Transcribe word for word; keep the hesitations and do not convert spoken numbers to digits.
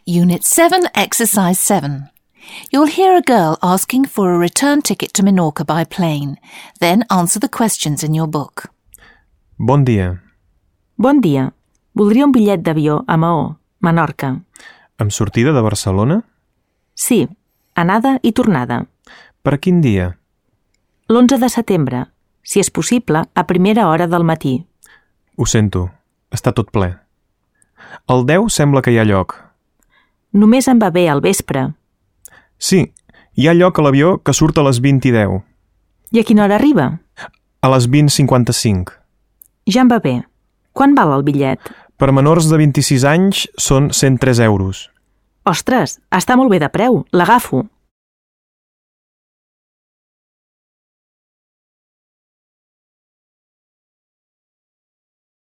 Unit seven, Exercise seven. You'll hear a girl asking for a return ticket to Menorca by plane. Then answer the questions in your book. Bon dia. Bon dia. Voldria un bitllet d'avió a Maó, Menorca. Amb sortida de Barcelona? Sí, anada i tornada. Per a quin dia? L'onze de setembre, si és possible, a primera hora del matí. Ho sento, està tot ple. El deu sembla que hi ha lloc. Només em va bé al vespre. Sí, hi ha lloc a l'avió que surt a les vint i deu. I a quina hora arriba? A les vint cinquanta-cinc. Ja em va bé. Quan val el bitllet? Per menors de vint-i-sis anys són cent tres euros. Ostres, està molt bé de preu. L'agafo.